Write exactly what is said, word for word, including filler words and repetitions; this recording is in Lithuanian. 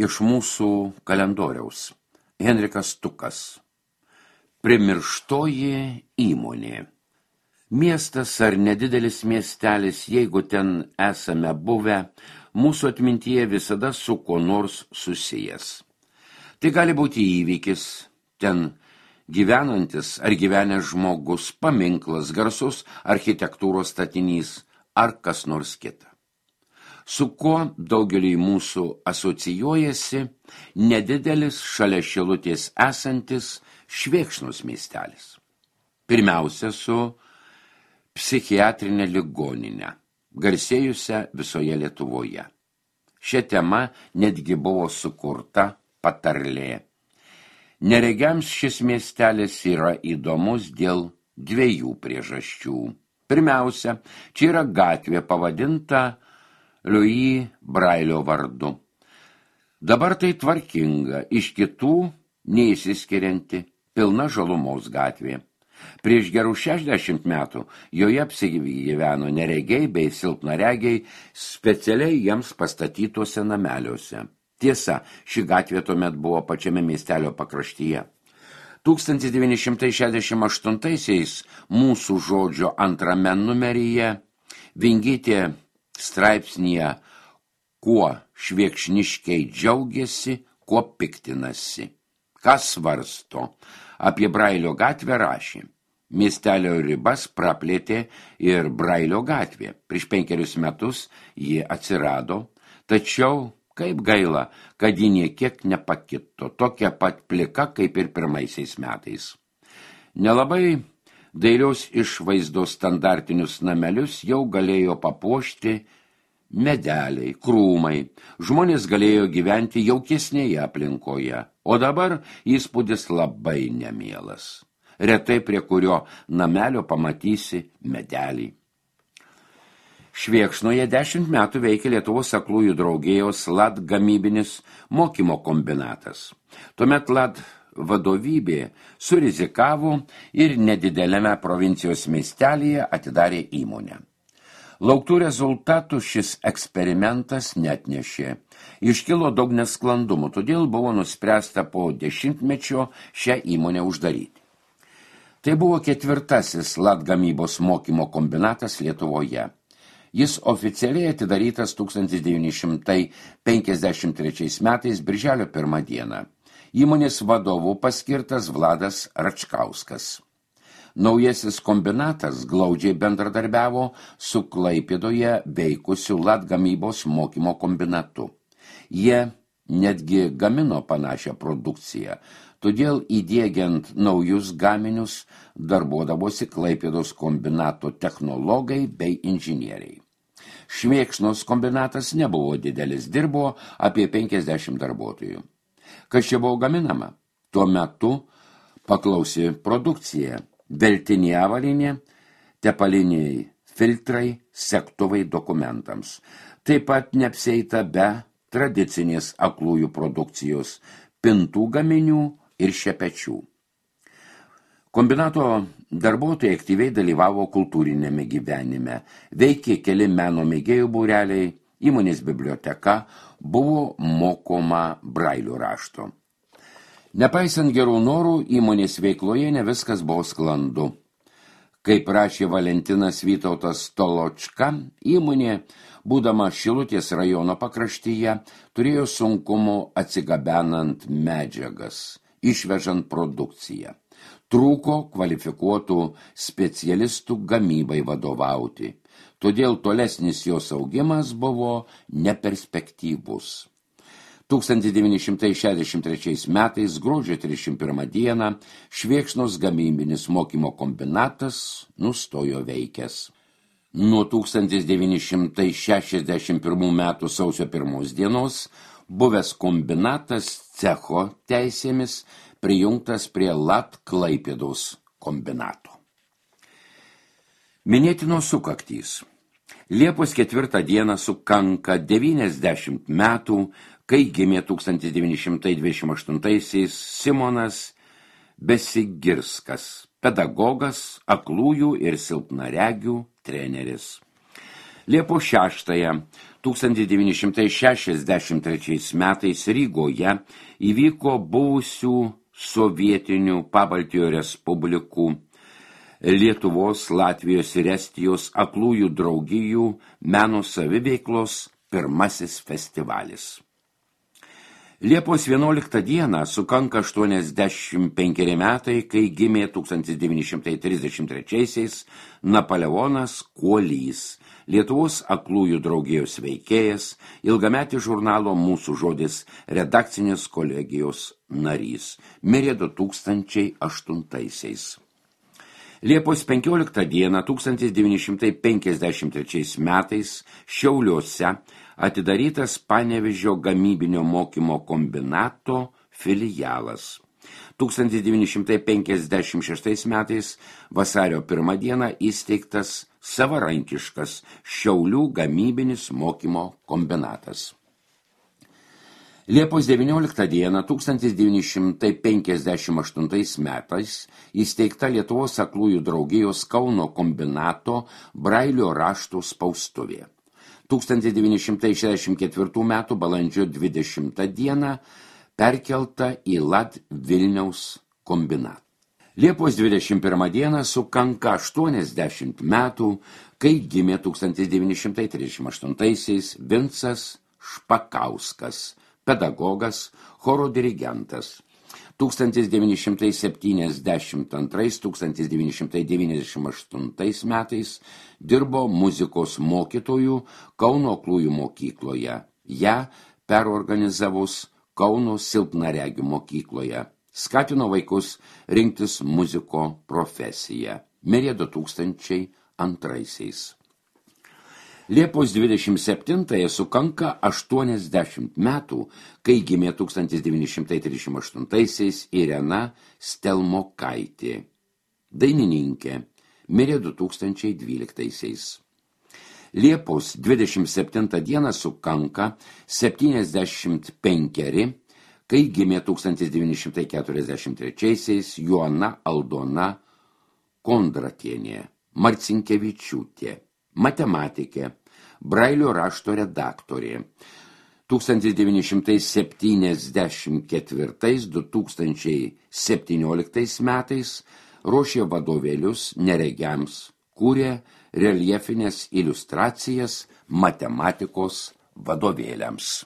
iš mūsų kalendoriaus. Henrikas Tukas. Primirštoji įmonė. Miestas ar nedidelis miestelis, jeigu ten esame buvę, mūsų atmintyje visada su kuo nors susijęs. Tai gali būti įvykis, ten gyvenantis ar gyvenęs žmogus, paminklas, garsus architektūros statinys ar kas nors kita. Su kuo daugeliui mūsų asocijuojasi nedidelis šalia Šilutės esantis Švėkšnos miestelis. Pirmiausia su psichiatrinė ligoninė, garsėjusią visoje Lietuvoje. Šia tema netgi buvo sukurta patarlė. Neregiams šis miestelis yra įdomus dėl dviejų priežasčių. Pirmiausia, čia yra gatvė pavadinta Louis Brailio vardu. Dabar tai tvarkinga, iš kitų neįsiskirianti, pilna žalumos gatvė. Prieš gerų šešiasdešimt metų joje apsigyveno neregiai bei silpnaregiai specialiai jiems pastatytuose nameliuose. Tiesa, ši gatvė tuomet buvo pačiame miestelio pakraštyje. tūkstantis devyni šimtai šešiasdešimt aštuntaisiais mūsų žodžio antrame numeryje Vingytė straipsnyje kuo švėkšniškiai džiaugiasi, kuo piktinasi. Kas svarsto? Apie Brailio gatvę rašė. Miestelio ribas praplėtė ir Brailio gatvė. Prieš penkerius metus ji atsirado, tačiau kaip gaila, kad ji niekiek nepakito, tokia pat plika kaip ir pirmaisiais metais. Nelabai dailios išvaizdos standartinius namelius jau galėjo papuošti medeliai, krūmai. Žmonės galėjo gyventi jaukesnėje aplinkoje, o dabar įspūdis labai nemielas. Retai prie kurio namelio pamatysi medelį. Švėkšnoje dešimt metų veikia Lietuvos aklųjų draugijos L A D gamybinis mokymo kombinatas. Tuomet L A D vadovybė surizikavo ir nedideliame provincijos miestelyje atidarė įmonę. Lauktų rezultatų šis eksperimentas netnešė. Iškilo daug nesklandumų, todėl buvo nuspręsta po dešimtmečio šią įmonę uždaryti. Tai buvo ketvirtasis L A D gamybos mokymo kombinatas Lietuvoje. Jis oficialiai atidarytas tūkstantis devyni šimtai penkiasdešimt trečiais metais birželio pirmą dieną. Įmonės vadovu paskirtas Vladas Račkauskas. Naujasis kombinatas glaudžiai bendradarbiavo su Klaipėdoje veikusiu L A D gamybos mokymo kombinatu. Jie netgi gamino panašią produkciją, todėl įdiegiant naujus gaminius darbuodavosi Klaipėdos kombinato technologai bei inžinieriai. Švėkšnos kombinatas nebuvo didelis, dirbo apie penkiasdešimt darbuotojų. Kas čia buvo gaminama? Tuo metu paklausė produkcija. Veltinė avalynė, tepaliniai filtrai, segtuvai dokumentams. Taip pat neapsieita be tradicinės aklųjų produkcijos, pintų gaminių ir šepečių. Kombinato darbuotojai aktyviai dalyvavo kultūrinėme gyvenime, veikė keli meno mėgėjų būreliai, įmonės biblioteka, buvo mokoma Brailio rašto. Nepaisant gerų norų, įmonės veikloje ne viskas buvo sklandu. Kaip rašė Valentinas Vytautas Toločka, įmonė, būdama Šilutės rajono pakraštyje, turėjo sunkumų atsigabenant medžiagas, išvežant produkciją. Trūko kvalifikuotų specialistų gamybai vadovauti, todėl tolesnis jos augimas buvo neperspektyvus. tūkstantis devyni šimtai šešiasdešimt trečiais metais gruodžio trisdešimt pirmą dieną Švėkšnos gamybinis mokymo kombinatas nustojo veikęs. Nuo tūkstantis devyni šimtai šešiasdešimt pirmų metų sausio pirmos dienos buvęs kombinatas cecho teisėmis prijungtas prie L A D Klaipėdos kombinato. Minėtinos sukaktys. Liepos ketvirtą dieną sukanka devyniasdešimt metų, kai gimė tūkstantis devyni šimtai dvidešimt aštuntaisiais Simonas Besigirskas, pedagogas, aklųjų ir silpnaregių treneris. Liepos šeštąją tūkstantis devyni šimtai šešiasdešimt trečiais metais Rygoje įvyko buvusių sovietinių Pabaltijo respublikų Lietuvos, Latvijos ir Estijos aklųjų draugijų meno saviveiklos pirmasis festivalis. Liepos vienuoliktą dieną sukanka aštuoniasdešimt penkeri metai, kai gimė tūkstantis devyni šimtai trisdešimt trečiaisiais Napoleonas Kuolys, Lietuvos aklųjų draugijos veikėjas, ilgametis žurnalo Mūsų žodis redakcinės kolegijos narys, mirė du tūkstančiai aštuntaisiais. Liepos penkioliktą dieną tūkstantis devyni šimtai penkiasdešimt trečiais metais Šiauliuose atidarytas Panevėžio gamybinio mokymo kombinato filialas. tūkstantis devyni šimtai penkiasdešimt šeštais metais vasario pirmą dieną įsteigtas savarankiškas Šiaulių gamybinis mokymo kombinatas. Liepos devynioliktą dieną tūkstantis devyni šimtai penkiasdešimt aštuntais metais įsteigta Lietuvos aklųjų draugijos Kauno kombinato Brailio raštų spaustuvė. tūkstantis devyni šimtai šešiasdešimt ketvirtų metų balandžio dvidešimtą dieną perkelta į Lad Vilniaus kombinatą. Liepos dvidešimt pirmą dieną sukanka aštuoniasdešimt metų, kai gimė tūkstantis devyni šimtai trisdešimt aštuntaisiais Vincas Špakauskas, pedagogas, choro dirigentas. tūkstantis devyni šimtai septyniasdešimt antrais - tūkstantis devyni šimtai devyniasdešimt aštuntais metais dirbo muzikos mokytojų Kauno aklųjų mokykloje, ją perorganizavus Kauno silpnaregių mokykloje. Skatino vaikus rinktis muziko profesiją. Mirė du tūkstančiai antraisiais. Liepos dvidešimt septintąją sukanka aštuoniasdešimt metų, kai gimė tūkstantis devyni šimtai trisdešimt aštuntaisiais Irena Stelmokaitė, dainininkė, mirė du tūkstančiai dvyliktaisiais. Liepos dvidešimt septintą dieną sukanka septyniasdešimt penkeri, kai gimė tūkstantis devyni šimtai keturiasdešimt trečiaisiais Joana Aldona Kondratienė, Marcinkevičiūtė, matematikė, Brailio rašto redaktorė. tūkstantis devyni šimtai septyniasdešimt ketvirtais - du tūkstančiai septynioliktais metais ruošė vadovėlius neregiams, kūrė reljefinės iliustracijas matematikos vadovėliams.